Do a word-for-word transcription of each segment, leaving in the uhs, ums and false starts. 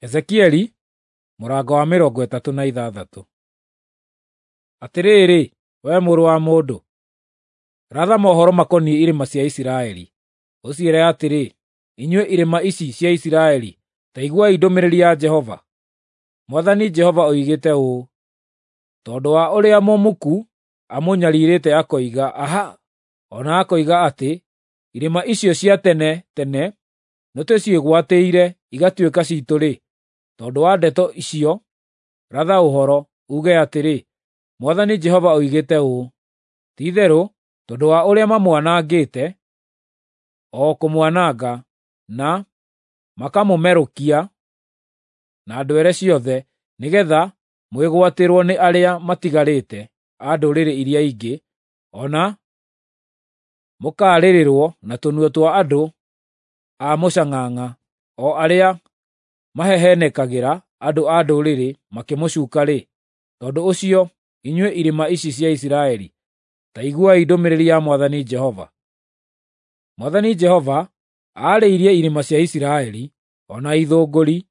Ezekieli mũrango wa mĩrongo ĩtatũ na ithathatũ. Atĩrĩrĩ, wee mũrũ wa mũndũ, ratha mohoro makoniĩ irĩma cia Isiraeli, ũciĩre atĩrĩ, ‘Inyuĩ irĩma ici cia Isiraeli, ta iguai ndũmĩrĩri ya Jehova. Mwathani Jehova oigĩte ũũ: Tondũ wa ũrĩa mũmuku amũnyariirĩte akoiga, “Aha!” o na akoiga atĩ irĩma icio cia tene tene nĩtũciĩgwatĩire igatuĩka ciitũ-rĩ, tondũ wa ndeto icio, ratha ũhoro, uuge atĩrĩ, ‘Mwathani Jehova oigĩte ũũ: Ti-itherũ tondũ wa ũrĩa mamwanangĩte, o kũmwananga, na makamũmerũkia na ndwere ciothe, nĩgeetha mwĩgwatĩrwo nĩ arĩa matigarĩte a ndũrĩrĩ iria ingĩ, o na mũkarĩrĩrwo na tũnua twa andũ a mũcang'ang'a, o arĩa mahehenekagĩra andũ a ndũrĩrĩ makĩmũcuuka-rĩ, tondũ ũcio, inyuĩ irĩma ici cia Isiraeli, ta iguai ndũmĩrĩri ya Mwathani Jehova. Mwathani Jehova aarĩirie irĩma cia Isiraeli, o na ithũngũri,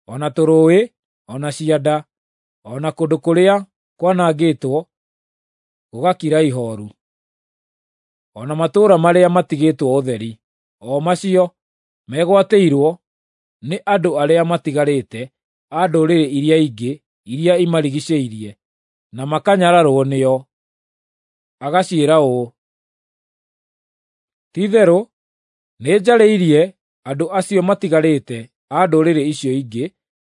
o na tũrũũĩ, o na cianda, o na kũndũ kũrĩa kwanangĩtwo gũgakira ihooru, o na matũũra marĩa matigĩtwo ũtheri, o macio megwatĩirwo nĩ andũ arĩa matigarĩte a ndũrĩrĩ iria ingĩ iria imarigiicĩirie, na makanyararwo nĩo. Agaciĩra ũũ: Ti-itherũ nĩnjarĩirie andũ acio matigarĩte a ndũrĩrĩ icio ingĩ,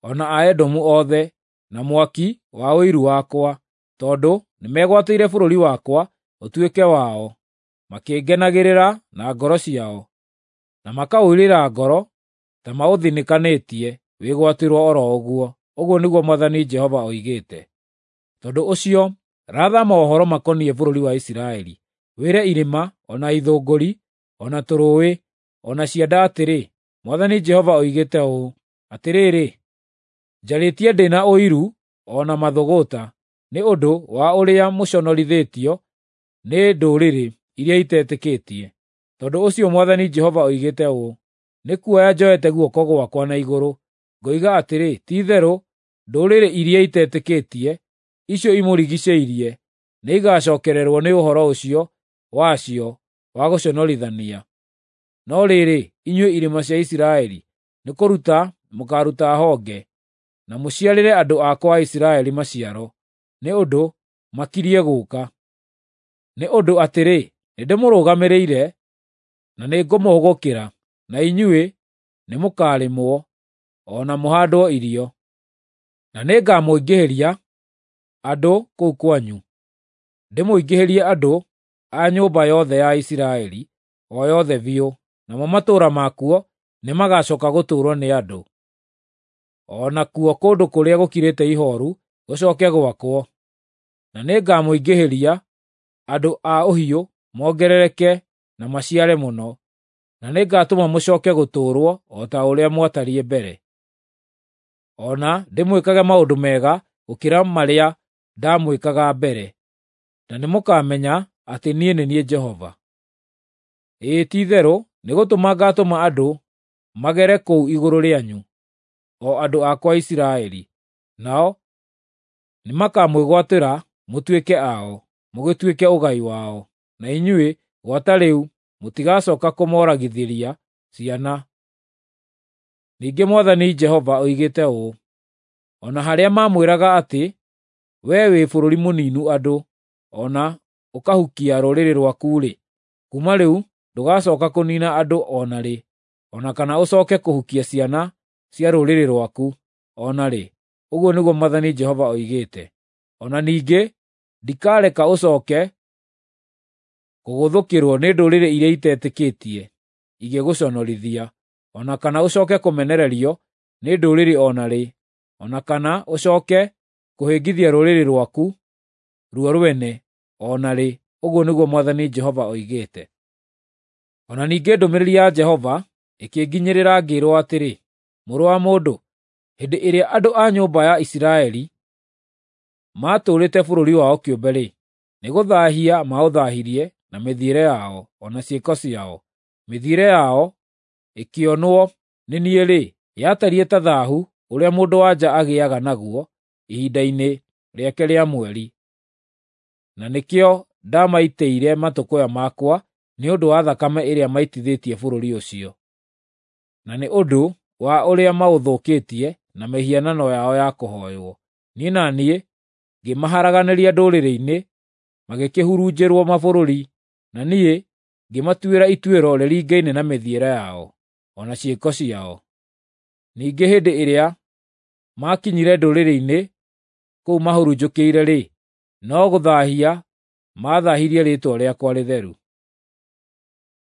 o na a Edomu othe, na mwaki wa ũiru wakwa, tondũ nĩmegwatĩire bũrũri wakwa ũtuĩke wao, makĩngenagĩrĩra na ngoro ciao, na makaũirĩra ngoro ta maũthinĩkanĩtie wĩgwatĩrwo o ro ũguo, ũguo nĩguo Mwathani Jehova oigĩte. Tondũ ũcio, ratha mohoro makoniĩ bũrũri wa Isiraeli, wĩre irĩma, o na ithũngũri, o na tũrũũĩ, o na cianda atĩrĩ, Mwathani Jehova oigĩte ũũ: Atĩrĩrĩ, njarĩtie ndĩ na ũiru o na mathũgũta nĩ ũndũ wa ũrĩa mũconorithĩtio nĩ ndũrĩrĩ iria itetĩkĩtie. Tondũ ũcio Mwathani Jehova oigĩte ũũ: Nĩkuoya njoete guoko gwakwa na igũrũ, ngoiga atĩrĩ, ti-itherũ ndũrĩrĩ iria itetĩkĩtie, icio imũrigiicĩirie, nĩigacookererwo nĩ ũhoro ũcio wacio wa gũconorithania. No rĩrĩ, inyuĩ irĩma cia Isiraeli, nĩkũruta mũkaaruta honge, na mũciarĩre andũ akwa a Isiraeli maciaro, nĩ ũndũ makirie gũũka. Nĩ ũndũ atĩrĩ, nĩndĩmũrũgamĩrĩire na nĩngũmũhũgũkĩra, na inyuĩ nĩmũkarĩmwo, o na mũhaandwo irio. Na nĩngamũingĩhĩria andũ kũu kwanyu, ndĩmũingĩhĩrie andũ a nyũmba yothe ya Isiraeli, o yothe biũ, namo matũũra makuo nĩmagacooka gũtũũrwo nĩ andũ. O nakuo kũndũ kũrĩa gũkirĩte ihooru gũcooke gwakwo. Na nĩngamũingĩhĩria andũ a ũhiũ mongerereke na maciare mũno, na nĩngatũma mũcooke gũtũũrwo o ta ũrĩa mwatariĩ mbere. O na ndĩmwĩkage maũndũ mega gũkĩra marĩa ndamwĩkaga mbere, na nĩmũkamenya atĩ niĩ nĩ niĩ Jehova. Ĩĩ ti-itherũ nĩgũtũma ngaatũma andũ magere kũu igũrũ rĩanyu, o andũ akwa a Isiraeli, nao nĩmakamwĩgwatĩra mũtuĩke ao, mũgĩtuĩke ũgai wao, na inyuĩ gwata rĩu mũtigacooka kũmooragithĩria ciana. Ningĩ Mwathani Jehova oigĩte ũũ: O na harĩa maamwĩraga atĩ, “Wee wĩ bũrũri mũninu andũ, o na ũkahukia rũrĩrĩ rwaku-rĩ, kuuma rĩu ndũgacooka kũniina andũ o na rĩ, o na kana ũcooke kũhukia ciana cia rũrĩrĩ rwaku o na rĩ, ũguo nĩguo Mwathani Jehova oigĩte. O na ningĩ ndikareka ũcooke kũgũthũkĩrwo nĩ ndũrĩrĩ iria itetĩkĩtie igĩgũconorithia, o na kana ũcooke kũmenererio nĩ ndũrĩrĩ o na rĩ, o na kana ũcooke kũhĩngithia rũrĩrĩ rwaku ruo rwene o na rĩ, ũguo nĩguo Mwathani Jehova oigĩte. O na ningĩ ndũmĩrĩri ya Jehova ĩkĩnginyĩrĩra ngĩĩrwo atĩrĩ, Mũrũ wa mũndũ, hĩndĩ ĩrĩa andũ a nyũmba ya Isiraeli maatũũrĩte bũrũri wao kĩũmbe-rĩ, nĩgũthaahia maũthaahirie na mĩthiĩre yao o na ciĩko ciao. Mĩthiĩre yao ĩkĩonwo nĩ niĩ-rĩ, yatariĩ ta thaahu ũrĩa mũndũ-wa-nja agĩaga naguo ihinda-inĩ rĩake rĩa mweri. Na nĩkĩo ndamaitĩire matũkũya makwa nĩ ũndũ wa thakame ĩrĩa maitithĩtie bũrũri ũcio, na nĩ ũndũ wa ũrĩa maũthũkĩtie na mĩhianano yao ya kũhooywo. Niĩ na niĩ ngĩmaharaganĩria ndũrĩrĩ-inĩ, magĩkĩhurunjĩrwo mabũrũri, na niĩ ngĩmatuĩra ituĩro rĩringaine na mĩthiĩre yao, o na ciĩko ciao. Ningĩ hĩndĩ ĩrĩa maakinyire ndũrĩrĩ-inĩ kũu mahurunjũkĩire-rĩ, no gũthaahia maathaahirie rĩĩtwa rĩakwa rĩtheru.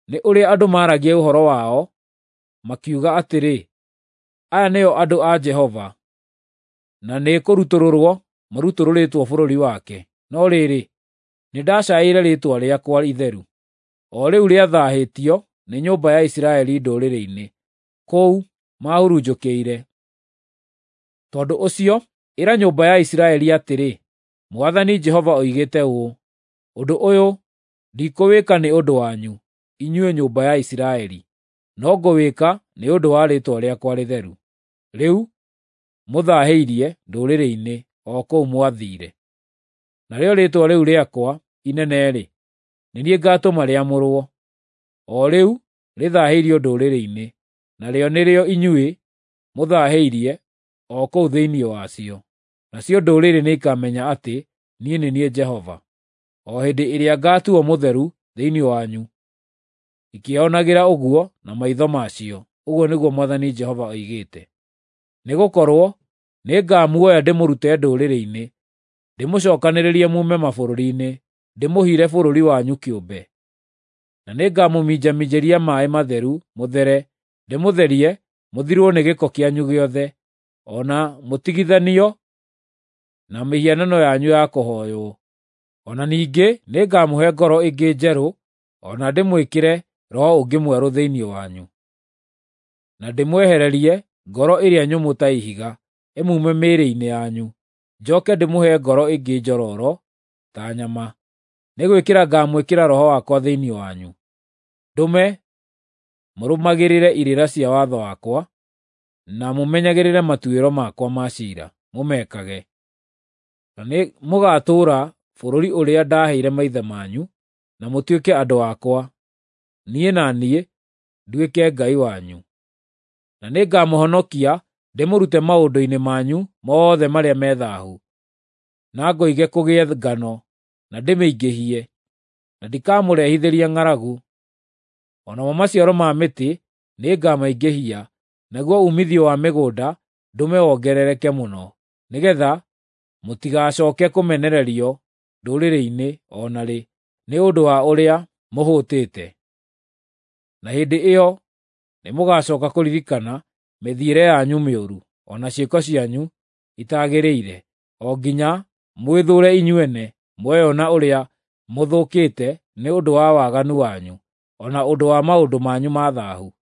Nĩ ũrĩa andũ maaragia ũhoro wao, makiuga atĩrĩ, ‘Aya nĩo andũ a Jehova, na nĩkũrutũrũrwo marutũrũrĩtwo bũrũri wake.’ No rĩrĩ, nĩndacaĩire rĩĩtwa rĩakwa itheru, o rĩu rĩathaahĩtio nĩ nyũmba ya Isiraeli ndũrĩrĩ-inĩ, kũu maahurunjũkĩire. Tondũ ũcio ĩra nyũmba ya Isiraeli atĩrĩ, Mwathani Jehova oigĩte ũũ: Ũndũ ũyũ ndikũwĩka nĩ ũndũ wanyu, inyuĩ nyũmba ya Isiraeli, no ngũwĩka nĩ ũndũ wa rĩĩtwa rĩakwa rĩtheru, rĩu mũthaahĩirie ndũrĩrĩ-inĩ o kũu mwathiire. Narĩo rĩĩtwa rĩu rĩakwa inene-rĩ, nĩ niĩ ngaatũma rĩamũrwo, o rĩu rĩthaahĩirio ndũrĩrĩ-inĩ, narĩo nĩrĩo inyuĩ mũthaahĩirie o kũu thĩinĩ wacio. Nacio ndũrĩrĩ nĩikamenya atĩ niĩ nĩ niĩ Jehova, o hĩndĩ ĩrĩa ngaatuo mũtheru thĩinĩ wanyu, ikĩĩonagĩra ũguo na maitho macio, ũguo nĩguo Mwathani Jehova oigĩte. Nĩgũkorwo nĩngamuoya ndĩmũrute ndũrĩrĩ-inĩ, ndĩmũcookanĩrĩrie muume mabũrũri-inĩ, ndĩmũhire bũrũri wanyu kĩũmbe. Na nĩngamũminjaminjĩria maaĩ matheru mũthere, ndĩmũtherie mũthirwo nĩ gĩko kĩanyu gĩothe, o na mũtigithanio na mĩhianano yanyu ya kũhooywo. O na ningĩ nĩngamũhe ngoro ĩngĩ njerũ, o na ndĩmwĩkĩre roho ũngĩ mwerũ thĩinĩ wanyu. Na ndĩmwehererie ngoro ĩrĩa nyũmũ ta ihiga, ĩmume mĩĩrĩ-inĩ yanyu, njoke ndĩmũhe ngoro ĩngĩ njororo ta nyama. Nĩ gwĩkĩra ngaamwĩkĩra Roho wakwa thĩinĩ wanyu, ndũme mũrũmagĩrĩre irĩra cia watho wakwa, na mũmenyagĩrĩre matuĩro makwa ma ciira, mũmekage. Na nĩ mũgaatũũra bũrũri ũrĩa ndaaheire maithe manyu, na mũtuĩke andũ akwa, niĩ na niĩ nduĩke Ngai wanyu. Na nĩngamũhonokia ndĩmũrute maũndũ-inĩ manyu mothe marĩa me thaahu, na ngoige kũgĩe ngano na ndĩmĩingĩhie, na ndikamũrehithĩria ng'aragu. O namo maciaro ma mĩtĩ nĩngamaingĩhia, naguo uumithio wa mĩgũnda ndũme wongerereke mũno, nĩgeetha mũtigacooke kũmenererio ndũrĩrĩ-inĩ o na rĩ nĩ ũndũ wa ũrĩa mũhũtĩte. Na hĩndĩ ĩyo nĩmũgacooka kũririkana mĩthiĩre yanyu mĩũru, o na ciĩko cianyu itaagĩrĩire, o nginya mwĩthũũre inyuene mweyona ũrĩa mũthũkĩte nĩ ũndũ wa waganu wanyu, o na ũndũ wa maũndũ manyu ma thaahu.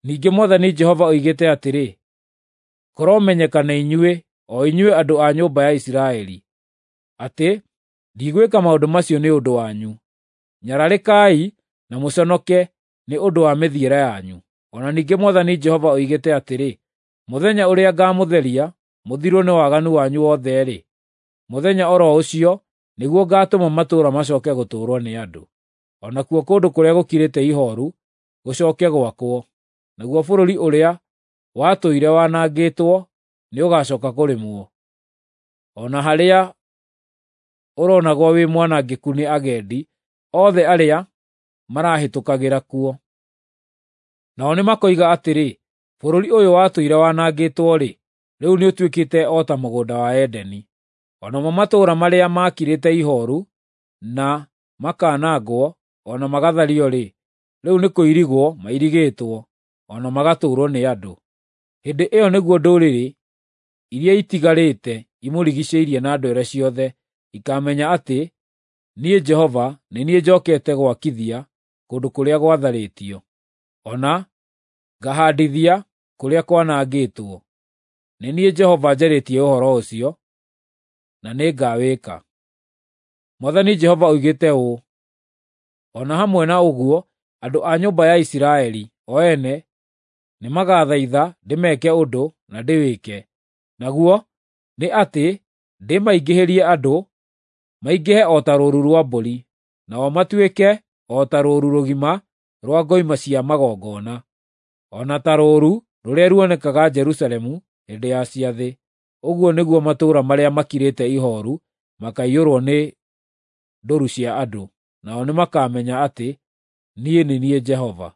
Ningĩ Mwathani Jehova oigĩte atĩrĩ, kũromenyeka nĩ inyuĩ, o inyuĩ andũ a nyũmba ya Isiraeli, atĩ ndigwĩka maũndũ macio nĩ ũndũ wanyu. Nyararĩkai na mũconoke nĩ ũndũ wa mĩthiĩre yanyu. O na ningĩ Mwathani Jehova oigĩte atĩrĩ, mũthenya ũrĩa ngaamũtheria mũthirwo nĩ waganu wanyu wothe-rĩ, mũthenya o ro ũcio nĩguo ngaatũma matũũra macooke gũtũũrwo nĩ andũ, o nakuo kũndũ kũrĩa gũkirĩte ihooru gũcooke gwakwo, naguo bũrũri ũrĩa watũire wanangĩtwo nĩũgacooka kũrĩmwo, o na harĩa ũronagwo wĩ mwanangĩku nĩ agendi othe arĩa marahĩtũkagĩra kuo. Nao nĩmakoiga atĩrĩ, ‘Bũrũri ũyũ watũire wanangĩtwo-rĩ, rĩu nĩũtuĩkĩte o ta mũgũnda wa Edeni.’ O namo matũũra marĩa maakirĩte ihooru na makanangwo o na magathario-rĩ, rĩu nĩkũirigwo mairigĩtwo, o na magatũũrwo nĩ andũ. Hĩndĩ ĩyo nĩguo ndũrĩrĩ iria itigarĩte imũrigiicĩirie na ndwere ciothe ikaamenya atĩ niĩ Jehova nĩ niĩ njookete gwakithia kũndũ kũrĩa gwatharĩtio, o na ngahaandithia kũrĩa kwanangĩtwo. Nĩ niĩ Jehova njarĩtie ũhoro ũcio, na nĩngawĩka. Mwathani Jehova oigĩte ũũ: O na hamwe na ũguo, andũ a nyũmba ya Isiraeli o ene nĩmagathaitha ndĩmeke ũndũ na ndĩwĩke, naguo nĩ atĩ ndĩmaingĩhĩrie andũ, maingĩhe o ta rũũru rwa mbũri, nao matuĩke o ta rũũru rũgima rwa ngoima cia magongona, o na ta rũũru rũrĩa ruonekaga Jerusalemu hĩndĩ ya ciathĩ. Ũguo nĩguo matũũra marĩa makirĩte ihooru makaiyũrwo nĩ ndũru cia andũ, nao nĩmakamenya atĩ niĩ nĩ niĩ Jehova.